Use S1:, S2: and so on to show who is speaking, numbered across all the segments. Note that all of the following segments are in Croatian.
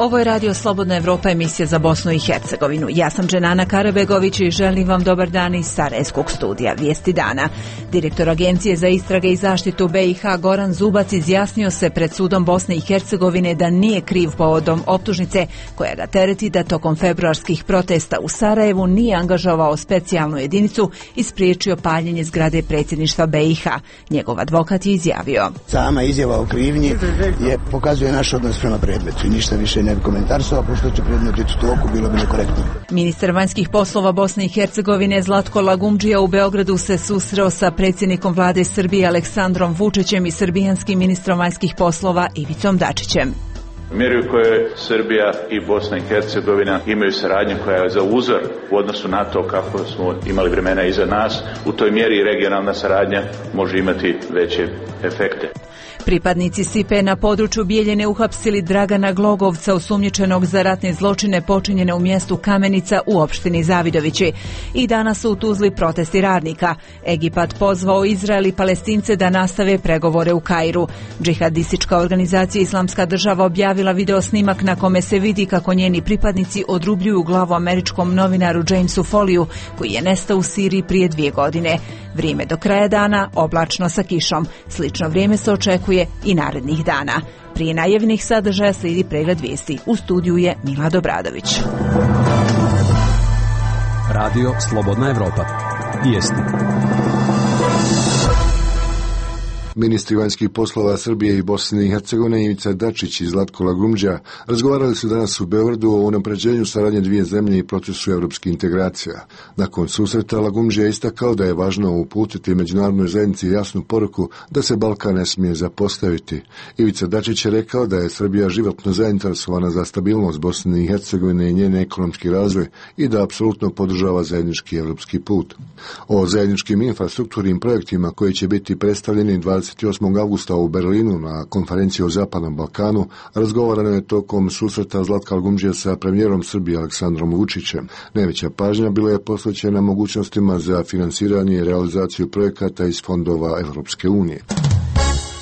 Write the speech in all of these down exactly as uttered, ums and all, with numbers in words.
S1: Ovo je Radio Slobodna Evropa, emisija za Bosnu i Hercegovinu. Ja sam Dženana Karabegović i želim vam dobar dan iz Sarajevskog studija Vijesti dana. Direktor Agencije za istrage i zaštitu B i H Goran Zubac izjasnio se pred sudom Bosne i Hercegovine da nije kriv povodom optužnice koja ga tereti da tokom februarskih protesta u Sarajevu nije angažovao specijalnu jedinicu i spriječio paljenje zgrade predsjedništva B i H. Njegov advokat je izjavio:
S2: sama izjava o krivnji je pokazuje naš odnos prema predmetu i ništa više ne bi komentarsao, pošto će predmet biti u toku, bilo bi nekorektno.
S1: Ministar vanjskih poslova Bosne i Hercegovine Zlatko Lagumdžija u Beogradu se susreo sa predsjednikom vlade Srbije Aleksandrom Vučićem i srbijanskim ministrom vanjskih poslova Ivicom Dačićem.
S3: Mjeri u kojoj Srbija i Bosna i Hercegovina imaju saradnju koja je za uzor u odnosu na to kako smo imali vremena iza nas, u toj mjeri regionalna saradnja može imati veće efekte.
S1: Pripadnici S I P-a na području Bijeljine uhapsili Dragana Glogovca, osumnjičenog za ratne zločine počinjene u mjestu Kamenica u opštini Zavidovići. I danas su u Tuzli protesti radnika. Egipat pozvao Izrael i Palestince da nastave pregovore u Kairu. Džihadistička organizacija Islamska država objavila video snimak na kome se vidi kako njeni pripadnici odrubljuju glavu američkom novinaru Jamesu Foliju, koji je nestao u Siriji prije dvije godine. Vrijeme do kraja dana oblačno sa kišom. Slično vrijeme se očekuje i narednih dana. Prije najavljenih sadržaja slijedi pregled vijesti. U studiju je Milad Obradović.
S4: Radio Slobodna Evropa. Vijesti.
S5: Ministri vanjskih poslova Srbije i Bosne i Hercegovine Ivica Dačić i Zlatko Lagumdžija razgovarali su danas u Beogradu o unapređenju saradnje dvije zemlje i procesu evropskih integracija. Nakon susreta Lagumdžija je istakao da je važno uputiti međunarodnoj zajednici jasnu poruku da se Balkan ne smije zapostaviti. Ivica Dačić je rekao da je Srbija životno zainteresovana za stabilnost Bosne i Hercegovine i njen ekonomski razvoj i da apsolutno podržava zajednički evropski put. O zajedničkim infrastrukturnim projektima koji će biti predstavljeni dvadeset osmog avgusta u Berlinu na konferenciji o Zapadnom Balkanu razgovarano je tokom susreta Zlatka Lagumdžije sa premijerom Srbije Aleksandrom Vučićem. Najveća pažnja bila je posvećena mogućnostima za finansiranje i realizaciju projekata iz fondova Evropske unije.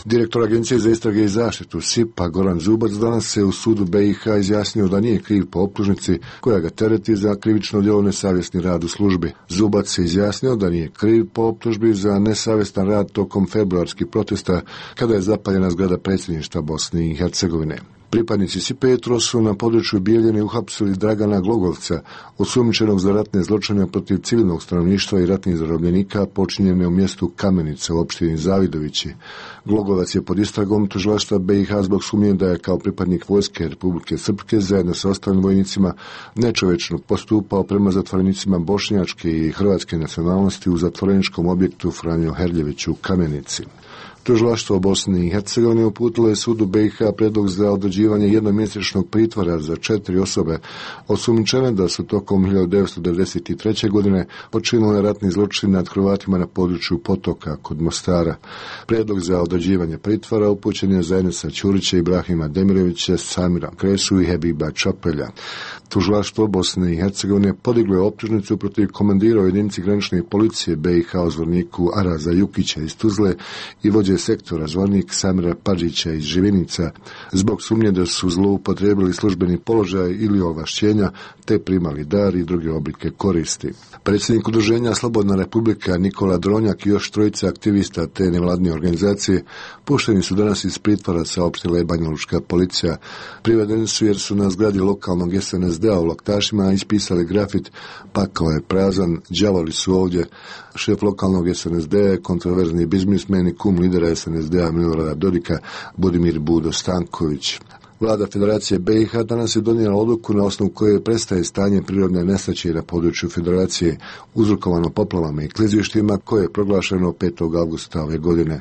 S5: Direktor Agencije za istrage i zaštitu S I P-a Goran Zubac danas se u sudu B i H izjasnio da nije kriv po optužnici koja ga tereti za krivično djelo nesavjesni rad u službi. Zubac se izjasnio da nije kriv po optužbi za nesavjestan rad tokom februarskih protesta kada je zapaljena zgrada predsjedništva Bosne i Hercegovine. Pripadnici S I P-a jutros su na području Bijeljine uhapsili Dragana Glogovca, osumnjičenog za ratne zločine protiv civilnog stanovništva i ratnih zarobljenika počinjene u mjestu Kamenica u opštini Zavidovići. Glogovac je pod istragom tužilaštva B i H zbog sumnje da je kao pripadnik vojske Republike Srpske zajedno sa ostalim vojnicima nečovečno postupao prema zatvorenicima bošnjačke i hrvatske nacionalnosti u zatvoreničkom objektu Franjo Herljević u Kamenici. Tužilaštvo Bosne i Hercegovine uputilo je sudu B i H predlog za određivanje jednomjesečnog pritvora za četiri osobe osumnjičene da su tokom hiljadu devetsto devedeset treće. godine počinile ratni zločin nad Hrvatima na području Potoka kod Mostara. Predlog za određivanje pritvora upućen je za Enesa Ćurića, Ibrahima Demirovića, Samira Kresu i Hebiba Čapelja. Tužilaštvo Bosne i Hercegovine podiglo je optužnicu protiv komandira u jedinici granične policije B i H o zvorniku Araza Jukića iz Tuzle i vođe sektora zvornik Samira Padžića iz Živinica zbog sumnje da su zloupotrijebili službeni položaj ili ovlašćenja te primali dar i druge oblike koristi. Predsjednik udruženja Slobodna Republika Nikola Dronjak i još trojica aktivista te nevladne organizacije pušteni su danas iz pritvora, saopštila je banjalučka policija. Privedeni su jer su na zgradi lokalnog S N S D-a u Loktašima ispisali grafit "Pakao je prazan, đavoli su ovdje". Šef lokalnog S N S D-a je kontroverzni biznismen i kum lidera S N S D-a Milorada Dodika Budimir Budo Stanković. Vlada Federacije B i H danas je donijela odluku na osnovu koje prestaje stanje prirodne nesreće na području Federacije uzrokovano poplavama i klizištima koje je proglašeno petog avgusta ove godine.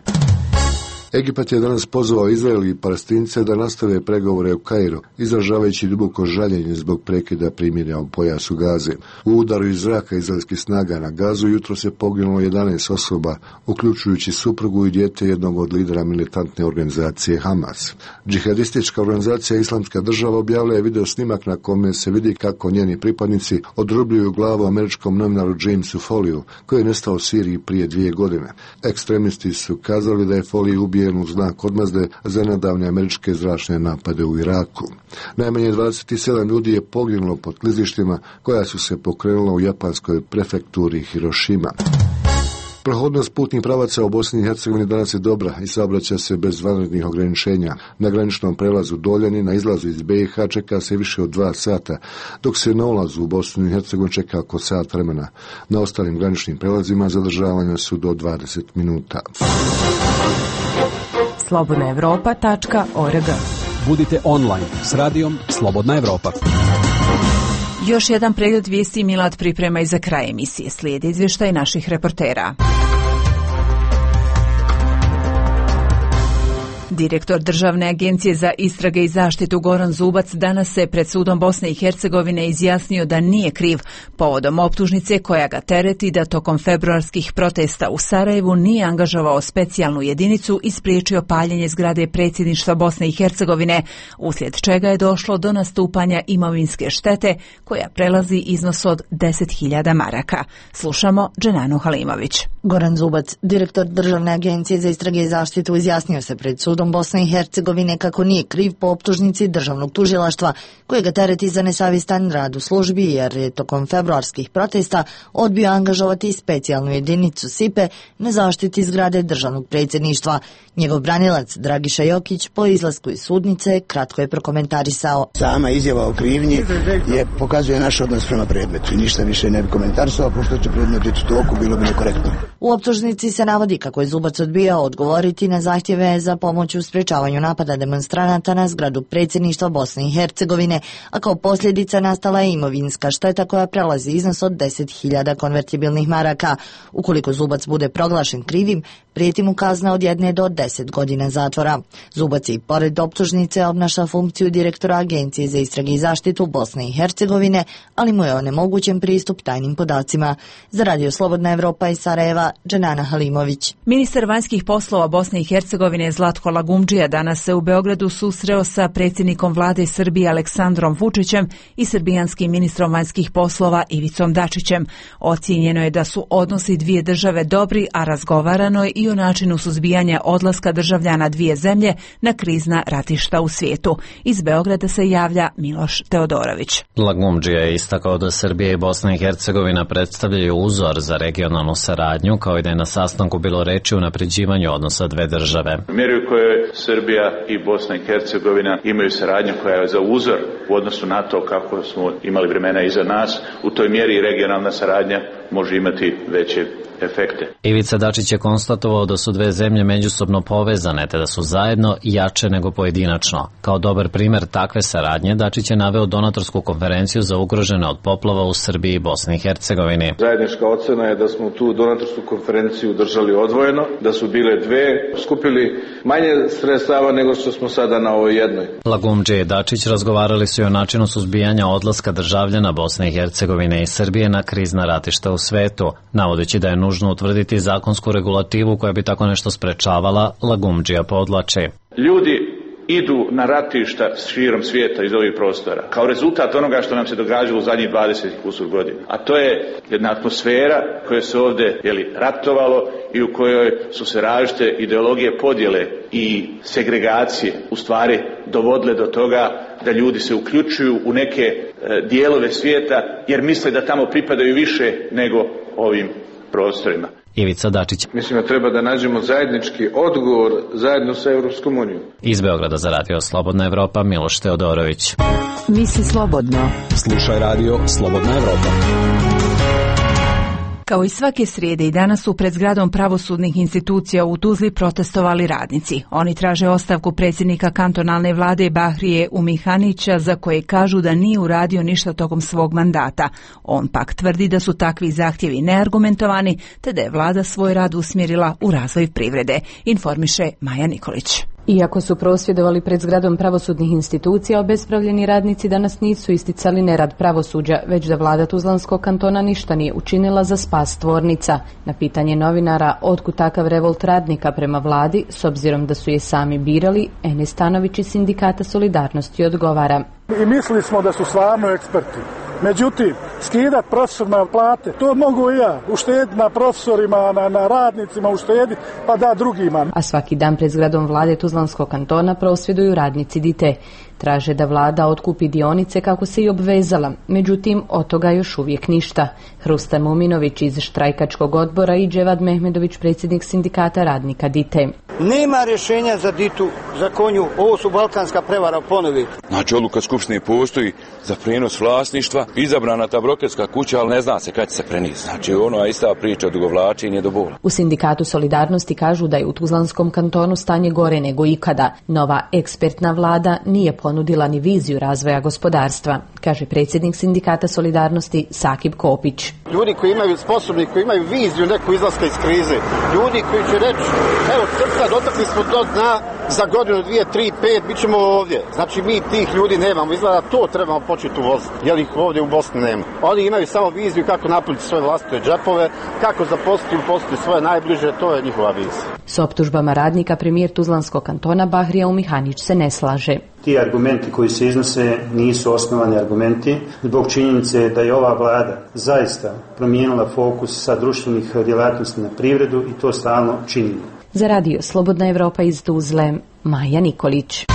S5: Egipat je danas pozvao Izrael i Palestince da nastave pregovore u Kairu, izražavajući duboko žaljenje zbog prekida primirja u pojasu Gaze. U udaru iz zraka izraelskih snaga na Gazu jutro se poginulo jedanaest osoba, uključujući suprugu i dijete jednog od lidera militantne organizacije Hamas. Džihadistička organizacija Islamska država objavila je video snimak na kome se vidi kako njeni pripadnici odrubljuju glavu američkom novinaru Jamesu Foliju, koji je nestao u Siriji prije dvije godine. Ekstremisti su kazali da je Folij ubije dodijeljen u znak odmazde za nedavne američke zračne napade u Iraku. Najmanje dvadeset sedam ljudi je poginulo pod klizištima koja su se pokrenula u japanskoj prefekturi Hirošima. Prohodnost putnih pravaca u Bosni i Hercegovini danas je dobra i saobraća se bez vanrednih ograničenja. Na graničnom prelazu Doljani na izlazu iz be i ha čeka se više od dva sata, dok se na ulazu u Bosnu i Hercegovinu čeka oko sat vremena. Na ostalim graničnim prelazima zadržavanja su do dvadeset minuta.
S6: slobodna evropa tačka org.
S4: Budite online s radijom Slobodna Evropa.
S1: Još jedan pregled vijesti Milad priprema i za kraj emisije. Slijedi izvještaj naših reportera. Direktor Državne agencije za istrage i zaštitu Goran Zubac danas se pred sudom Bosne i Hercegovine izjasnio da nije kriv povodom optužnice koja ga tereti da tokom februarskih protesta u Sarajevu nije angažovao specijalnu jedinicu i spriječio paljenje zgrade predsjedništva Bosne i Hercegovine, uslijed čega je došlo do nastupanja imovinske štete koja prelazi iznos od deset hiljada maraka. Slušamo Dženanu Halimović.
S7: Goran Zubac, direktor Državne agencije za istrage i zaštitu, izjasnio se pred sudom Bosne i Hercegovine kako nije kriv po optužnici državnog tužilaštva koje ga tereti za nesavjestan rad u službi jer je tokom februarskih protesta odbio angažovati specijalnu jedinicu SIPE na zaštiti zgrade državnog predsjedništva. Njegov branilac Dragiša Jokić po izlasku iz sudnice kratko je prokomentarisao.
S2: Sama izjava o krivnji je pokazuje naš odnos prema predmetu i ništa više ne bi komentarisao, pošto će predmet biti u toku, bilo bi nekorektno.
S7: U optužnici se navodi kako je Zubac odbijao odgovoriti na zahtjeve za pomoć u sprečavanju napada demonstranata na zgradu predsjedništva Bosne i Hercegovine, a kao posljedica nastala je imovinska šteta koja prelazi iznos od deset hiljada konvertibilnih maraka. Ukoliko Zubac bude proglašen krivim, prijeti mu kazna od jedne do deset godina zatvora. Zubac i pored optužnice obnaša funkciju direktora Agencije za istrage i zaštitu Bosne i Hercegovine, ali mu je onemogućen pristup tajnim podacima. Za Radio Slobodna Evropa iz Sarajeva, Dženana Halimović.
S1: Ministar vanjskih poslova Bosne i Hercegovine Zlatko Lagumdžija danas se u Beogradu susreo sa predsjednikom vlade Srbije Aleksandrom Vučićem i srbijanskim ministrom vanjskih poslova Ivicom Dačićem. Ocijenjeno je da su odnosi dvije države dobri, a razgovarano je i o načinu suzbijanja odlaska državljana dvije zemlje na krizna ratišta u svijetu. Iz Beograda se javlja Miloš Teodorović.
S8: Lagumdžija je istakao da Srbija i Bosna i Hercegovina predstavljaju uzor za regionalnu saradnju, kao i da je na sastanku bilo reči o unapređivanju odnosa dve države.
S3: U mjeri u kojoj Srbija i Bosna i Hercegovina imaju saradnju koja je za uzor u odnosu na to kako smo imali vremena iza nas, u toj mjeri regionalna saradnja može imati veće efekte.
S8: Ivica Dačić je konstatovao da su dve zemlje međusobno povezane, te da su zajedno jače nego pojedinačno. Kao dobar primjer takve saradnje, Dačić je naveo donatorsku konferenciju za ugrožene od poplava u Srbiji i Bosni i Hercegovini.
S9: Zajednička ocena je da smo tu donatorsku konferenciju držali odvojeno, da su bile dve, skupili manje sredstava nego što smo sada na ovoj jednoj.
S8: Lagumdžija i Dačić razgovarali su i o načinu suzbijanja odlaska državljana Bosne i Hercegovine i Srbije na krizna ratišta u svetu, navodeći da je nužno utvrditi zakonsku regulativu koja bi tako nešto sprečavala. Lagumdžija podvlači.
S3: Ljudi idu na ratišta širom svijeta iz ovih prostora kao rezultat onoga što nam se događalo u zadnjih dvadeset kusur godina. A to je jedna atmosfera koja se ovdje jeli, ratovalo i u kojoj su se različite ideologije podjele i segregacije u stvari dovodile do toga da ljudi se uključuju u neke e, dijelove svijeta jer misle da tamo pripadaju više nego ovim prostorima.
S8: Ivica Dačić.
S9: Mislim da treba da nađemo zajednički odgovor zajedno sa Europskom unijom.
S8: Iz Beograda za Radio Slobodna Evropa, Miloš Teodorović.
S6: Misli slobodno.
S4: Slušaj Radio Slobodna Evropa.
S1: Kao i svake srijede i danas su pred zgradom pravosudnih institucija u Tuzli protestovali radnici. Oni traže ostavku predsjednika kantonalne vlade Bahrije Umihanića za koje kažu da nije uradio ništa tokom svog mandata. On pak tvrdi da su takvi zahtjevi neargumentovani te da je vlada svoj rad usmjerila u razvoj privrede, informiše Maja Nikolić.
S6: Iako su prosvjedovali pred zgradom pravosudnih institucija, obespravljeni radnici danas nisu isticali nerad pravosuđa, već da vlada Tuzlanskog kantona ništa nije učinila za spas tvornica. Na pitanje novinara otkud takav revolt radnika prema vladi, s obzirom da su je sami birali, Enes Stanović iz Sindikata Solidarnosti odgovara.
S10: I mislili smo da su stvarno eksperti. Međutim, skidat profesorima plate, to mogu i ja, uštediti na profesorima, na, na radnicima, uštediti, pa da drugima.
S6: A svaki dan pred zgradom vlade Tuzlanskog kantona prosvjeduju radnici Dite. Traže da vlada otkupi dionice kako se i obvezala, međutim od toga još uvijek ništa. Hrustan Muminović iz štrajkačkog odbora i Dževad Mehmedović, predsjednik sindikata radnika Dite.
S11: Nema rješenja za Ditu, za Konju, ovo su balkanska prevara ponovi.
S12: Znači odluka skupštine postoji za prijenos vlasništva, izabrana ta brokerska kuća, ali ne zna se kad će se prenijeti. Znači ono je ista priča, odugovlačenje do bola.
S6: U sindikatu Solidarnosti kažu da je u Tuzlanskom kantonu stanje gore nego ikada. Nova ekspertna vlada nije ponudila ni viziju razvoja gospodarstva, kaže predsjednik sindikata Solidarnosti Sakib Kopić.
S11: Ljudi koji imaju sposobni, koji imaju viziju neku izlaska iz krize, ljudi koji će reći, evo crta, dotakli smo do dna, za godinu, dvije, tri, pet, bit ćemo ovdje. Znači mi tih ljudi nemamo, izgleda to trebamo početi uvoziti, jer ih ovdje u Bosni nema. Oni imaju samo viziju kako napuniti svoje vlastite džepove, kako zaposliti i uposliti svoje najbliže, to je njihova vizija.
S6: S optužbama radnika premijer Tuzlanskog kantona Bahrija Umihanić se ne slaže.
S13: Ti argumenti koji se iznose nisu osnovani argumenti zbog činjenice da je ova vlada zaista promijenila fokus sa društvenih djelatnosti na privredu i to stalno činimo.
S6: Za radio Slobodna Evropa iz Tuzle, Maja Nikolić.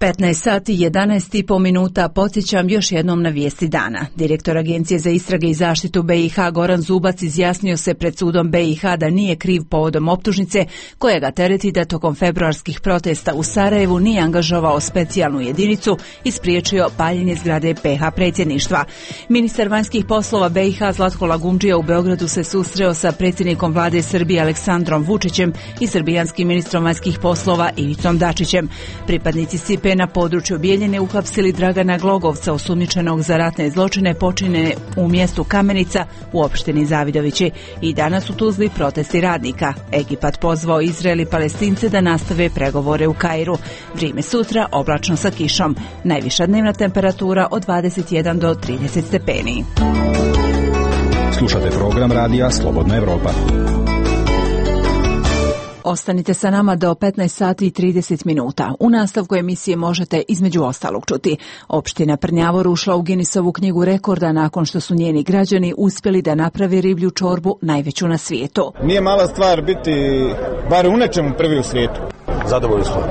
S1: petnaest sati i jedanaest i po minuta, podsjećam još jednom na vijesti dana. Direktor Agencije za istrage i zaštitu B i H Goran Zubac izjasnio se pred sudom B i H da nije kriv povodom optužnice koja ga tereti da tokom februarskih protesta u Sarajevu nije angažovao specijalnu jedinicu i spriječio paljenje zgrade P H predsjedništva. Ministar vanjskih poslova B i H Zlatko Lagumdžija u Beogradu se susreo sa predsjednikom vlade Srbije Aleksandrom Vučićem i srbijanskim ministrom vanjskih poslova Ivicom Dačićem. Pripadnici Sipe na području Bijeljine uhapsili Dragana Glogovca, osumnjičenog za ratne zločine počinjene u mjestu Kamenica u opštini Zavidovići. I danas u Tuzli protesti radnika. Egipat pozvao Izrael i Palestince da nastave pregovore u Kairu. Vrijeme sutra oblačno sa kišom. Najviša dnevna temperatura od dvadeset jedan do trideset stepeni.
S4: Slušate program radija Slobodna Evropa.
S1: Ostanite sa nama do petnaest sati i trideset minuta. U nastavku emisije možete između ostalog čuti. Opština Prnjavor ušla u Guinnessovu knjigu rekorda nakon što su njeni građani uspjeli da naprave riblju čorbu najveću na svijetu.
S14: Nije mala stvar biti bar u nečemu prvi u svijetu. Zadovoljni smo.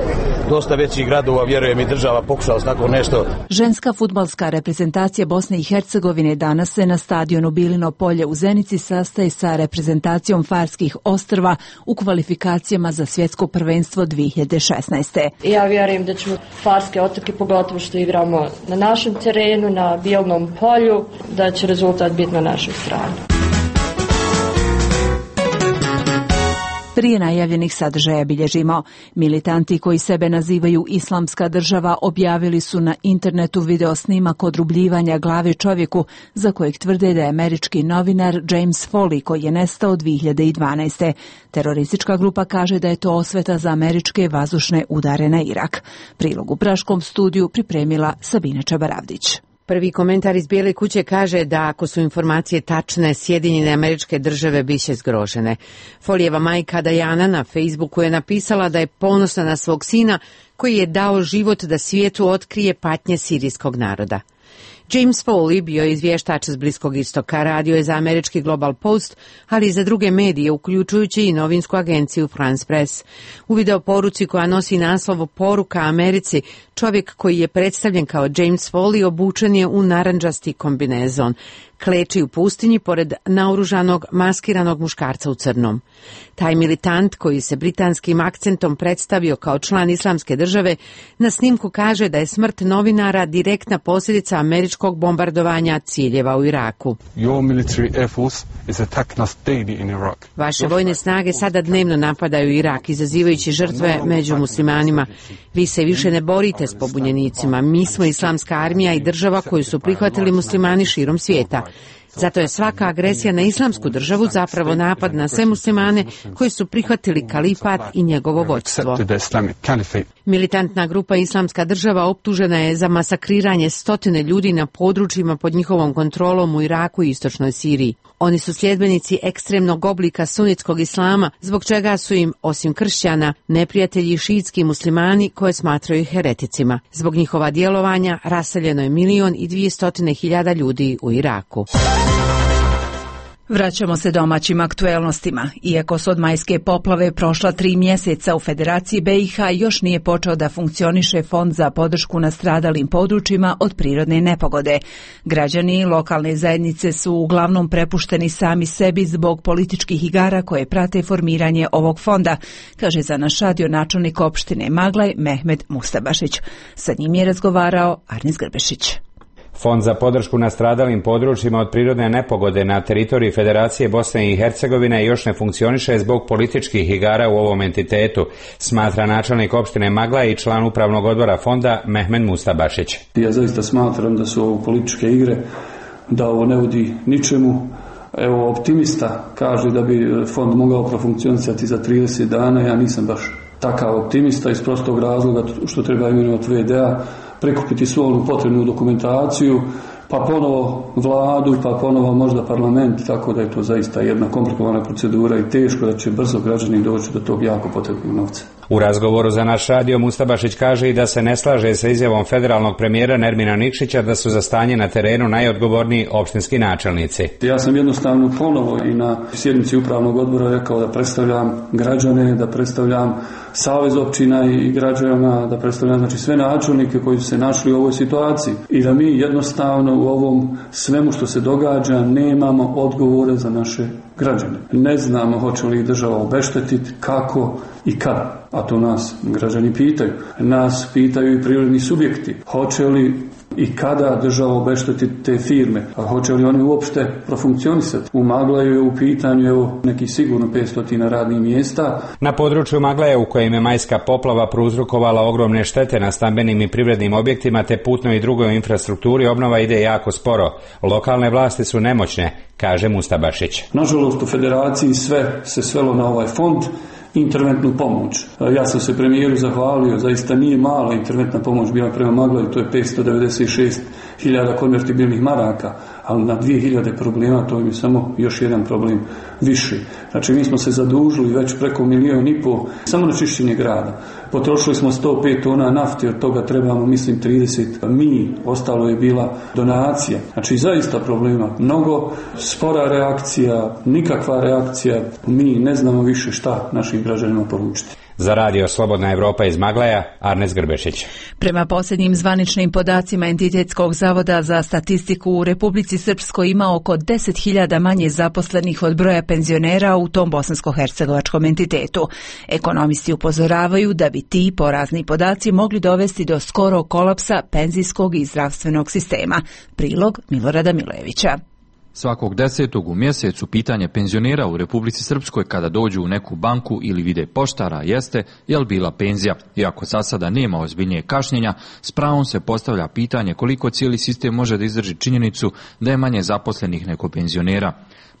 S14: Dosta većih gradova, vjerujem i država pokušala s tako nešto.
S1: Ženska fudbalska reprezentacija Bosne i Hercegovine danas se na stadionu Bilino polje u Zenici sastaje sa reprezentacijom Farskih ostrva u kvalifikacijama za svjetsko prvenstvo dvije hiljade šesnaeste.
S15: Ja vjerujem da ćemo Farske otoke, pogotovo što igramo na našem terenu, na Bilnom polju, da će rezultat biti na našoj strani.
S1: Prije najavljenih sadržaja bilježimo. Militanti koji sebe nazivaju Islamska država objavili su na internetu video snimak odrubljivanja glave čovjeku za kojeg tvrde da je američki novinar James Foley koji je nestao dvije hiljade dvanaeste. Teroristička grupa kaže da je to osveta za američke vazdušne udare na Irak. Prilog u praškom studiju pripremila Sabina Čabaravdić.
S16: Prvi komentar iz Bijele kuće kaže da ako su informacije tačne, Sjedinjene Američke Države biće zgrožene. Folijeva majka Dajana na Facebooku je napisala da je ponosna na svog sina koji je dao život da svijetu otkrije patnje sirijskog naroda. James Foley bio je izvještač s Bliskog istoka, radio je za američki Global Post, ali i za druge medije, uključujući i novinsku agenciju France Press. U video poruci koja nosi naslov Poruka Americi, čovjek koji je predstavljen kao James Foley obučen je u narandžasti kombinezon. Kleči u pustinji pored naoružanog, maskiranog muškarca u crnom. Taj militant, koji se britanskim akcentom predstavio kao član Islamske države, na snimku kaže da je smrt novinara direktna posljedica američkog bombardovanja ciljeva u Iraku. Vaše vojne snage sada dnevno napadaju Irak, izazivajući žrtve među muslimanima. Vi se više ne borite s pobunjenicima. Mi smo islamska armija i država koju su prihvatili muslimani širom svijeta. Zato je svaka agresija na islamsku državu zapravo napad na sve muslimane koji su prihvatili kalifat i njegovo vođstvo. Militantna grupa Islamska država optužena je za masakriranje stotine ljudi na područjima pod njihovom kontrolom u Iraku i istočnoj Siriji. Oni su sljedbenici ekstremnog oblika sunitskog islama, zbog čega su im, osim kršćana, neprijatelji šiitski muslimani koje smatraju hereticima. Zbog njihova djelovanja raseljeno je milion i dvije hiljade ljudi u Iraku.
S1: Vraćamo se domaćim aktuelnostima. Iako su od majske poplave prošla tri mjeseca, u Federaciji B i H još nije počeo da funkcioniše fond za podršku nastradalim područjima od prirodne nepogode. Građani i lokalne zajednice su uglavnom prepušteni sami sebi zbog političkih igara koje prate formiranje ovog fonda, kaže za naš radio načelnik opštine Maglaj Mehmed Mustabašić. Sa njim je razgovarao Arnis Grbešić.
S17: Fond za podršku nastradalim područjima od prirodne nepogode na teritoriji Federacije Bosne i Hercegovine još ne funkcioniše zbog političkih igara u ovom entitetu, smatra načelnik opštine Magla i član upravnog odbora fonda Mehmed Mustabašić.
S18: Ja zaista smatram da su ovo političke igre, da ovo ne vodi ničemu. Evo, optimista kaže da bi fond mogao profunkcionisati za trideset dana, ja nisam baš takav optimista iz prostog razloga što treba imenovati ve de a, prikupiti svu onu potrebnu dokumentaciju, pa ponovo vladu, pa ponovo možda parlament, tako da je to zaista jedna komplikovana procedura i teško da će brzo građani doći do tog jako potrebnog novca.
S17: U razgovoru za naš radio Mustabašić kaže i da se ne slaže sa izjavom federalnog premijera Nermina Nikšića da su za stanje na terenu najodgovorniji opštinski načelnici.
S18: Ja sam jednostavno ponovo i na sjednici upravnog odbora rekao da predstavljam građane, da predstavljam savez općina i građana, da predstavljam znači sve načelnike koji su se našli u ovoj situaciji i da mi jednostavno u ovom svemu što se događa nemamo odgovore za naše građane. Ne znamo hoće li ih država obeštetiti, kako i kada. A to nas građani pitaju. Nas pitaju i prirodni subjekti. Hoće li i kada država obeštetiti te firme? A hoće li oni uopšte profunkcionisati? U Maglaju je u pitanju evo, neki sigurno petsto radnih mjesta.
S17: Na području Maglaja u kojem je majska poplava prouzrokovala ogromne štete na stambenim i privrednim objektima te putnoj i drugoj infrastrukturi, obnova ide jako sporo. Lokalne vlasti su nemoćne, kaže Mustabašić.
S18: Nažalost u Federaciji sve se svelo na ovaj fond, interventnu pomoć. Ja sam se premijeru zahvalio, zaista nije mala interventna pomoć bila prema Maglaju, to je petsto devedeset šest hiljada konvertibilnih maraka, ali na dvije hiljade problema to je samo još jedan problem više. Znači mi smo se zadužili već preko milijon i pol samo na čišćenje grada. Potrošili smo sto pet tona nafte, od toga trebamo mislim trideset mi, ostalo je bila donacija. Znači zaista problema mnogo, spora reakcija, nikakva reakcija, mi ne znamo više šta našim građanima poručiti.
S17: Za radio Slobodna Evropa iz Maglaja, Arnes Grbešić.
S1: Prema posljednjim zvaničnim podacima Entitetskog zavoda za statistiku, u Republici Srpskoj ima oko deset hiljada manje zaposlenih od broja penzionera u tom bosansko-hercegovačkom entitetu. Ekonomisti upozoravaju da bi ti porazni podaci mogli dovesti do skorog kolapsa penzijskog i zdravstvenog sistema. Prilog Milorada Milojevića.
S19: Svakog desetog u mjesecu pitanje penzionera u Republici Srpskoj kada dođu u neku banku ili vide poštara jeste jel bila penzija. Iako za sada nema ozbiljnije kašnjenja, s pravom se postavlja pitanje koliko cijeli sistem može da izdrži činjenicu da je manje zaposlenih nego penzionera.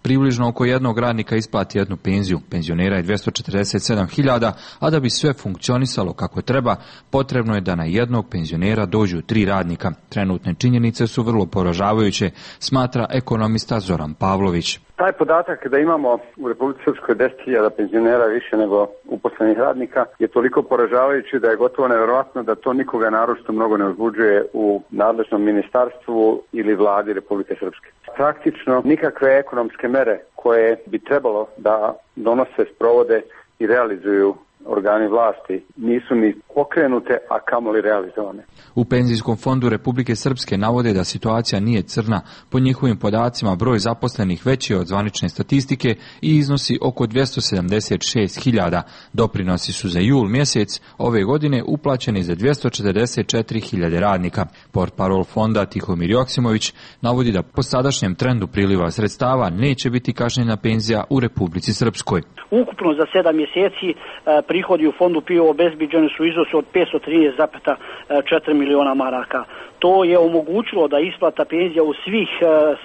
S19: Približno oko jednog radnika isplati jednu penziju, penzionera je dvjesto četrdeset sedam hiljada, a da bi sve funkcionisalo kako treba, potrebno je da na jednog penzionera dođu tri radnika. Trenutne činjenice su vrlo poražavajuće, smatra ekonomista Zoran Pavlović.
S20: Taj podatak da imamo u Republici Srpskoj deset hiljada penzionera više nego uposlenih radnika je toliko poražavajući da je gotovo nevjerojatno da to nikoga naročito mnogo ne uzbuđuje u nadležnom ministarstvu ili vladi Republike Srpske. Praktično nikakve ekonomske mere koje bi trebalo da donose, sprovode i realizuju organi vlasti nisu ni pokrenute, a kamoli realizovane.
S19: U Penzijskom fondu Republike Srpske navode da situacija nije crna. Po njihovim podacima broj zaposlenih veći je od zvanične statistike i iznosi oko dvjesto sedamdeset šest hiljada. Doprinosi su za jul mjesec ove godine uplaćeni za dvjesto četrdeset četiri hiljade radnika. Portparol fonda Tihomir Joksimović navodi da po sadašnjem trendu priliva sredstava neće biti kašnjena penzija u Republici Srpskoj.
S21: Ukupno za sedam mjeseci prihodi u fondu P I O obezbiđeni su u iznosu iznosu od petsto trinaest zarez četiri miliona maraka. To je omogućilo da isplata penzija u svih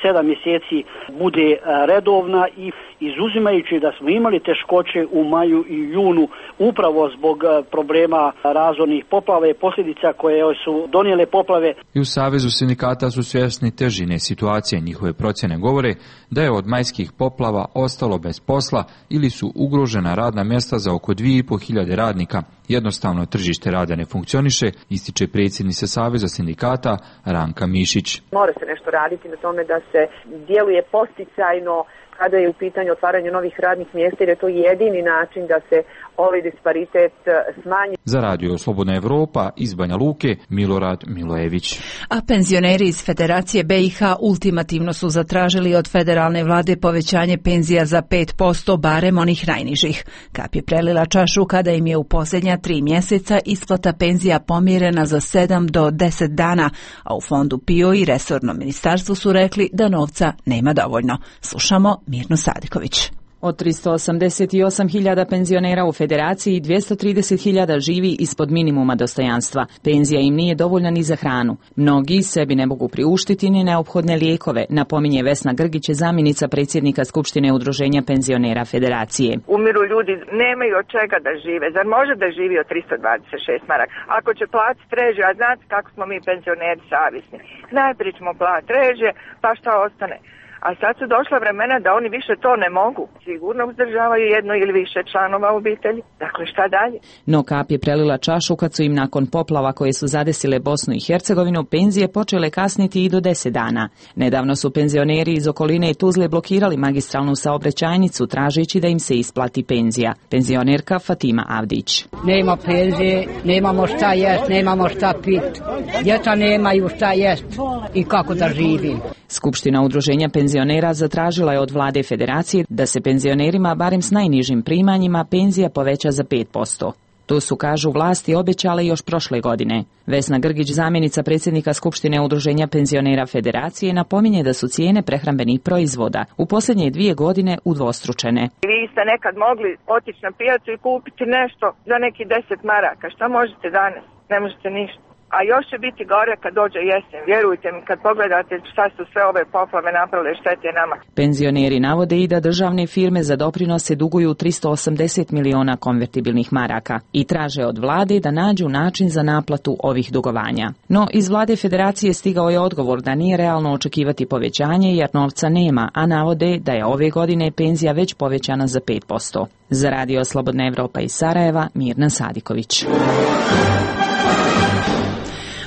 S21: sedam mjeseci bude redovna i izuzimajući da smo imali teškoće u maju i junu upravo zbog problema razornih poplava i posljedica koje su donijele poplave.
S19: I u Savezu sindikata su svjesni težine situacije. Njihove procjene govore da je od majskih poplava ostalo bez posla ili su ugrožena radna mjesta za oko dvije i pol hiljade radnika. Jednostavno tržište rada ne funkcioniše, ističe predsjednica Saveza sindikata Ranka Mišić.
S22: Mora se nešto raditi na tome da se djeluje posticajno kada je u pitanju otvaranje novih radnih mjesta, jer je to jedini način da se ovaj disparitet smanji.
S19: Za Radio Slobodna Evropa iz Banja Luke, Milorad Milojević.
S1: A penzioneri iz Federacije B i H ultimativno su zatražili od federalne vlade povećanje penzija za pet posto, barem onih najnižih. Kap je prelila čašu kada im je u posljednja tri mjeseca isplata penzija pomjerena za sedam do deset dana, a u fondu P I O i resornom ministarstvu su rekli da novca nema dovoljno. Slušamo Mirnu Sadiković.
S23: Od tristo osamdeset osam hiljada penzionera u Federaciji dvjesto trideset hiljada živi ispod minimuma dostojanstva. Penzija im nije dovoljna ni za hranu. Mnogi sebi ne mogu priuštiti ni neophodne lijekove, napominje Vesna Grgić, zamjenica predsjednika Skupštine Udruženja penzionera Federacije.
S24: Umiru ljudi, nemaju od čega da žive. Zar može da živi od tristo dvadeset šest maraka? Ako će platiti režije, a znate kako smo mi penzioneri savjesni. Najprije ćemo platiti režije, pa šta ostane? A sad su došla vremena da oni više to ne mogu. Sigurno uzdržavaju jedno ili više članova obitelji. Dakle, šta dalje?
S23: No kap je prelila čašu kad su im nakon poplava koje su zadesile Bosnu i Hercegovinu penzije počele kasniti i do deset dana. Nedavno su penzioneri iz okoline Tuzle blokirali magistralnu saobraćajnicu tražeći da im se isplati penzija. Penzionerka Fatima Avdić.
S25: Nema penzije, nemamo šta jest, nemamo šta pit. Djeca nemaju šta jest i kako da živim.
S23: Skupština Udruženja penzionera zatražila je od vlade Federacije da se penzionerima barem s najnižim primanjima penzija poveća za pet posto. To su, kažu, vlasti obećale još prošle godine. Vesna Grgić, zamjenica predsjednika Skupštine Udruženja penzionera Federacije, napominje da su cijene prehrambenih proizvoda u posljednje dvije godine udvostručene.
S24: Vi ste nekad mogli otići na pijacu i kupiti nešto za neki deset maraka. Šta možete danas? Ne možete ništa. A još će biti gore kad dođe jesen. Vjerujte mi, kad pogledate šta su sve ove poplave napravile štete nama.
S23: Penzioneri navode i da državne firme za doprinose duguju tristo osamdeset miliona konvertibilnih maraka i traže od vlade da nađu način za naplatu ovih dugovanja. No, iz vlade Federacije stigao je odgovor da nije realno očekivati povećanje jer novca nema, a navode da je ove godine penzija već povećana za pet posto. Za Radio Slobodna Evropa iz Sarajeva, Mirna Sadiković.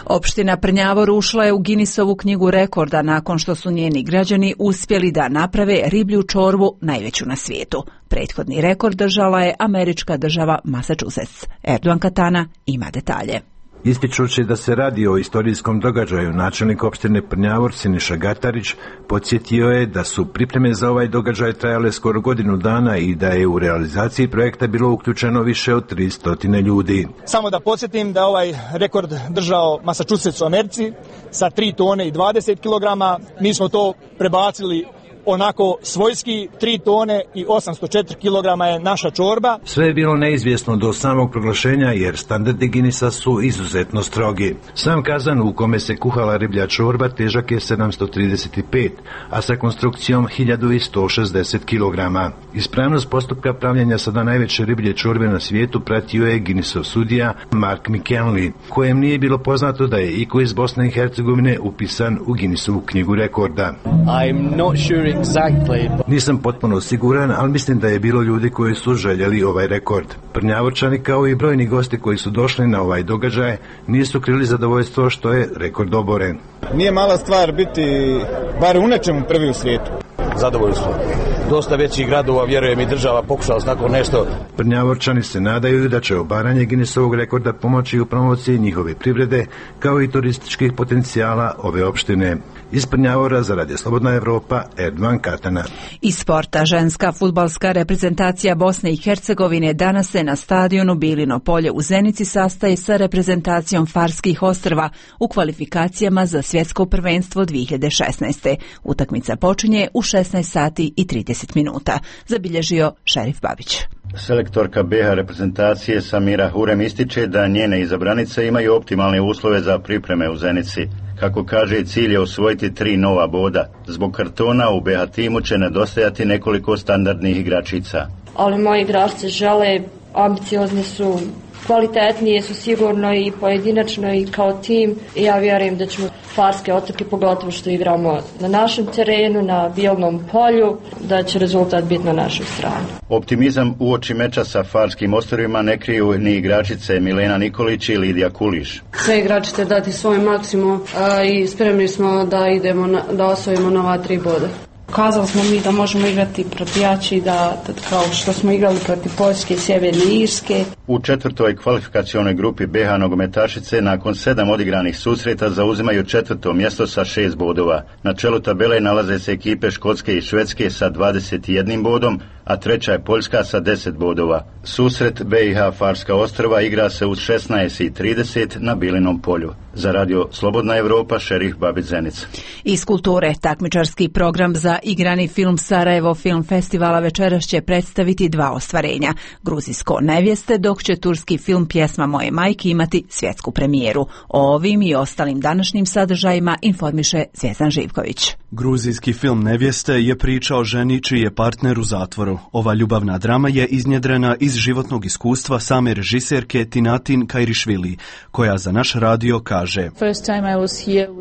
S1: Opština Prnjavor ušla je u Guinnessovu knjigu rekorda nakon što su njeni građani uspjeli da naprave riblju čorbu najveću na svijetu. Prethodni rekord držala je američka država Massachusetts. Erdogan Katana ima detalje.
S26: Ističući da se radi o istorijskom događaju, načelnik opštine Prnjavor Siniša Gatarić podsjetio je da su pripreme za ovaj događaj trajale skoro godinu dana i da je u realizaciji projekta bilo uključeno više od tristo ljudi.
S27: Samo da podsjetim da ovaj rekord držao Massachusetts u Americi sa tri tone i dvadeset kilograma. Mi smo to prebacili onako svojski, tri tone i osamsto četiri kilograma je naša čorba.
S26: Sve je bilo neizvjesno do samog proglašenja jer standardi Guinnessa su izuzetno strogi. Sam kazan u kome se kuhala riblja čorba težak je sedamsto trideset pet, a sa konstrukcijom hiljadu sto šezdeset kilograma. Ispravnost postupka pravljenja sada najveće riblje čorbe na svijetu pratio je Guinnessov sudija Mark McKinley, kojem nije bilo poznato da je iko iz Bosne i Hercegovine upisan u Guinnessovu knjigu rekorda.
S28: I'm not sure exactly.
S26: Nisam potpuno siguran, ali mislim da je bilo ljudi koji su željeli ovaj rekord. Prnjavorčani kao i brojni gosti koji su došli na ovaj događaj nisu krili zadovoljstvo što je rekord oboren.
S27: Nije mala stvar biti bar u nečemu prvi u svijetu.
S14: Zadovoljni smo. Dosta većih gradova, vjerujem, i država pokušala s tako nešto.
S26: Prnjavorčani se nadaju da će obaranje Guinnessovog rekorda pomoći u promociji njihove privrede kao i turističkih potencijala ove opštine. Iz Prnjavora za Radio Slobodna Evropa, Erdogan Katana.
S1: Iz sporta, ženska fudbalska reprezentacija Bosne i Hercegovine danas se na stadionu Bilino polje u Zenici sastaje sa reprezentacijom Farskih ostrva u kvalifikacijama za svjetsko prvenstvo dvije hiljade šesnaeste. Utakmica počinje u šesnaest sati i trideset minuta, zabilježio Šerif Babić.
S2: Selektorka B H reprezentacije Samira Hurem ističe da njene izabranice imaju optimalne uslove za pripreme u Zenici. Kako kaže, cilj je osvojiti tri nova boda. Zbog kartona u B H timu će nedostajati nekoliko standardnih igračica.
S15: Ali moji igračice žele, ambiciozni su, kvalitetnije su sigurno i pojedinačno i kao tim. I ja vjerujem da ćemo Farske otoke, pogotovo što igramo na našem terenu, na bijelnom polju, da će rezultat biti na našoj strani.
S2: Optimizam uoči meča sa Farskim ostrvima ne kriju ni igračice Milena Nikolić i Lidija Kuliš.
S3: Sve igračice dati svoj maksimum a, i spremni smo da idemo na, da osvojimo nova tri boda.
S5: Ukazali smo mi da možemo igrati protiv jači, da, da kao što smo igrali protiv Poljske i Sjeverne Irske.
S2: U četvrtoj kvalifikacionoj grupi B H nogometašice nakon sedam odigranih susreta zauzimaju četvrto mjesto sa šest bodova. Na čelu tabele nalaze se ekipe Škotske i Švedske sa dvadeset jednim bodom, a treća je Poljska sa deset bodova. Susret B i H Farska ostrva igra se u šesnaest i trideset na Bilinom polju. Za radio Slobodna Evropa, Šerif Babić Zenica.
S1: Iz kulture, takmičarski program za igrani film Sarajevo Film Festivala večeras će predstaviti dva ostvarenja. Gruzijsko Nevjeste, dok će turski film Pjesma moje majke imati svjetsku premijeru. O ovim i ostalim današnjim sadržajima informiše Zvjezdan Živković.
S7: Gruzijski film Nevjeste je priča o ženi čiji je partner u zatvoru. Ova ljubavna drama je iznjedrena iz životnog iskustva same režiserke Tinatin Kairišvili, koja za naš radio kaže: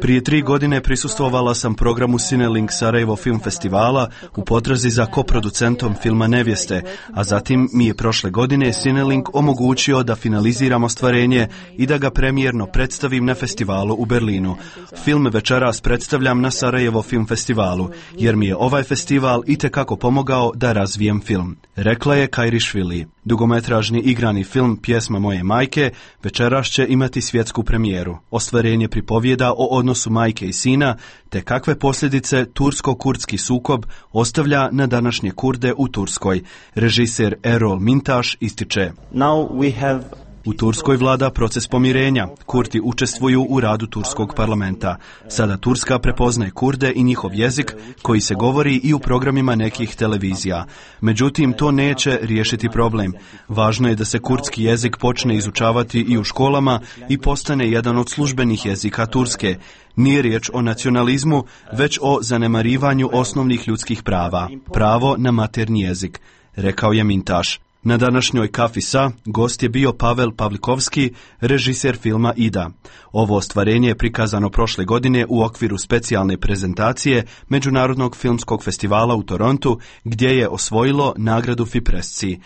S7: Prije tri godine prisustvovala sam programu Cinelink Sarajevo Film Festivala u potrazi za koproducentom filma Nevjeste, a zatim mi je prošle godine Cinelink omogućio da finaliziram ostvarenje i da ga premijerno predstavim na festivalu u Berlinu. Film večeras predstavljam na Sarajevo Film Festivalu, jer mi je ovaj festival itekako pomogao da razvijem film, rekla je Kairišvili. Dugometražni igrani film Pjesma moje majke večeras će imati svjetsku premijeru. Ostvarenje pripovjeda o odnosu majke i sina, te kakve posljedice tursko-kurdski sukob ostavlja na današnje Kurde u Turskoj. Režiser Erol Mintaš ističe: Now we have U Turskoj vlada proces pomirenja. Kurdi učestvuju u radu turskog parlamenta. Sada Turska prepoznaje Kurde i njihov jezik koji se govori i u programima nekih televizija. Međutim, to neće riješiti problem. Važno je da se kurdski jezik počne izučavati i u školama i postane jedan od službenih jezika Turske. Nije riječ o nacionalizmu, već o zanemarivanju osnovnih ljudskih prava. Pravo na maternji jezik, rekao je Mintaš. Na današnjoj Kafi Sa gost je bio Pavel Pavlikovski, režiser filma Ida. Ovo ostvarenje je prikazano prošle godine u okviru specijalne prezentacije Međunarodnog filmskog festivala u Torontu, gdje je osvojilo nagradu Fipresci.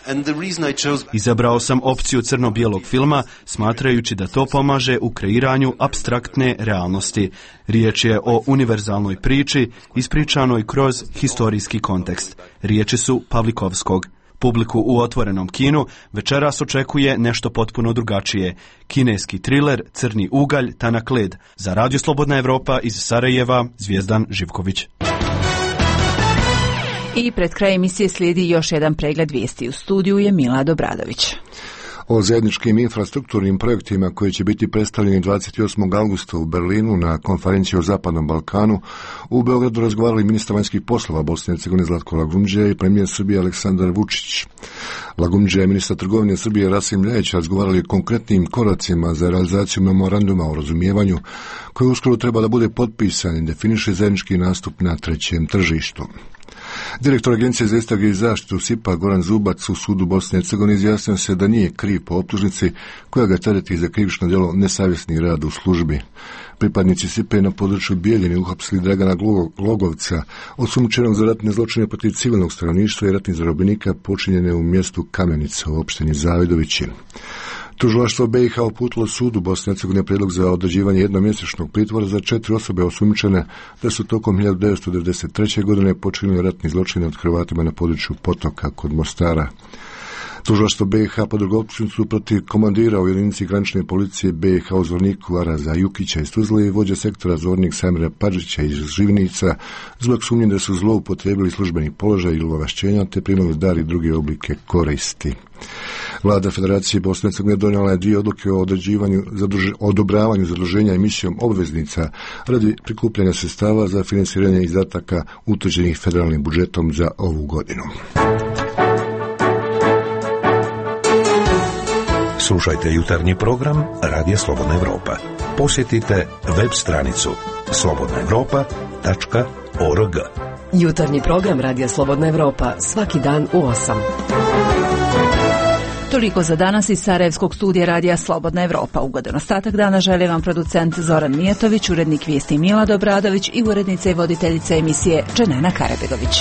S7: Izabrao sam opciju crno-bijelog filma, smatrajući da to pomaže u kreiranju apstraktne realnosti. Riječ je o univerzalnoj priči, ispričanoj kroz historijski kontekst. Riječi su Pavlikovskog. Publiku u otvorenom kinu večeras očekuje nešto potpuno drugačije. Kineski triler Crni ugalj, tanak led. Za Radio Slobodna Evropa iz Sarajeva, Zvjezdan Živković.
S1: I pred kraj emisije slijedi još jedan pregled vijesti. U studiju je Milad Obradović.
S8: O zajedničkim infrastrukturnim projektima koji će biti predstavljeni dvadeset osmog augusta u Berlinu na konferenciji o Zapadnom Balkanu u Beogradu razgovarali ministar vanjskih poslova Bosne i Hercegovine Zlatko Lagumdžija i premijer Srbije Aleksandar Vučić. Lagumdžija i ministar trgovine Srbije Rasim Ljajić razgovarali o konkretnim koracima za realizaciju memoranduma o razumijevanju koji uskoro treba da bude potpisan i definiše zajednički nastup na trećem tržištu. Direktor Agencije za istrage i zaštitu S I P-a Goran Zubac u sudu Bosne i Hercegovine izjasnio se da nije kriv po optužnici koja ga tereti za krivično djelo nesavjesni rad u službi. Pripadnici S I P-a na području Bijeljine uhapsili Dragana Glogovca, osumnjičenog za ratne zločine protiv civilnog stanovništva i ratnih zarobljenika počinjene u mjestu Kamenica u opštini Zavidovići. Tužilaštvo B i H uputilo sudu Bosne i Hercegovine prijedlog za određivanje jednomjesečnog pritvora za četiri osobe osumnjičene da su tokom hiljadu devetsto devedeset treće. godine počinili ratni zločine od Hrvatima na području Potoka kod Mostara. Tužilaštvo B i H podrugo optužnicu protiv komandira u jedinici granične policije B i H u Zvorniku Araza Jukića iz Tuzle i vođa sektora Zvornik Samira Padžića iz Živnica zbog sumnje da su zloupotrijebili službeni položaj ili ovlašćenja te primali dar i druge oblike koristi. Vlada Federacije Bosne i Hercegovine donijela je dvije odluke o određivanju, zadruž, odobravanju zaduženja emisijom obveznica radi prikupljanja sredstava za financiranje izdataka utvrđenih federalnim budžetom za ovu godinu.
S4: Slušajte jutarnji program Radija Slobodna Evropa. Posjetite web stranicu slobodna evropa tačka org.
S6: Jutarnji program Radija Slobodna Evropa svaki dan u osam.
S1: Toliko za danas iz Sarajevskog studija Radija Slobodna Evropa. Ugodan ostatak dana želi vam producent Zoran Mijatović, urednik vijesti Milad Obradović i urednica i voditeljica emisije Dženena Karabegović.